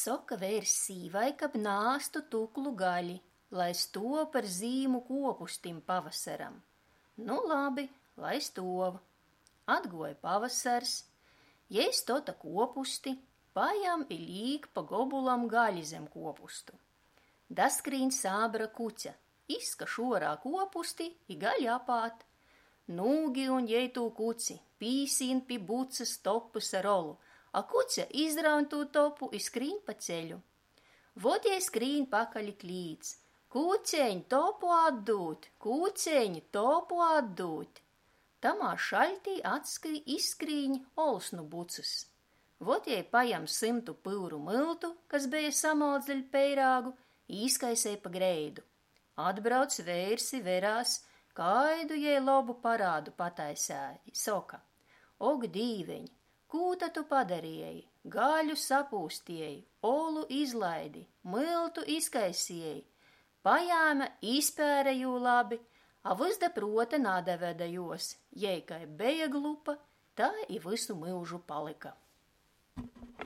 Soka veirs sīvai, kab naāstu tuklu gaļi, lai stuov par zīmu kuopustim pavasaram. Nu labi, lai stuov. Atguoja pavasars, jei stota kuopusti, pajam i līk pa gobulam gaļi zem kuopustu. Daskrīn sābra kuce, izkaš uorā kuopusti i gaļi apād. Nūgiun jei tū kuci, pīsīn pi bucys topys ar olu, a kuce izraun tū topu i skrīn pa ceļu. Vot jei skrīn pakaļ i klīdz: Kuceņ, topu atdūd, kuceņ, topu atdūd! Tamā šaļtī atskrī, izskrīņ ols nu bucys. Vot jei pajam symtu pyuru myltu, kas beja samalts deļ peirāgu, i izkaisej pa greidu. Atbrauc veirs i verās, kaidu jei lobu parādu pataisēja, i soka: Ok, Dīveņ, kū ta tu padarieji? Gaļu sapūstieji, olu izlaidi, myltu izkaisieji! Pajāma, izpēre jū labi, a vys da pruota nadavede juos, jei kai beja glupa, tai i vysu myužu palyka.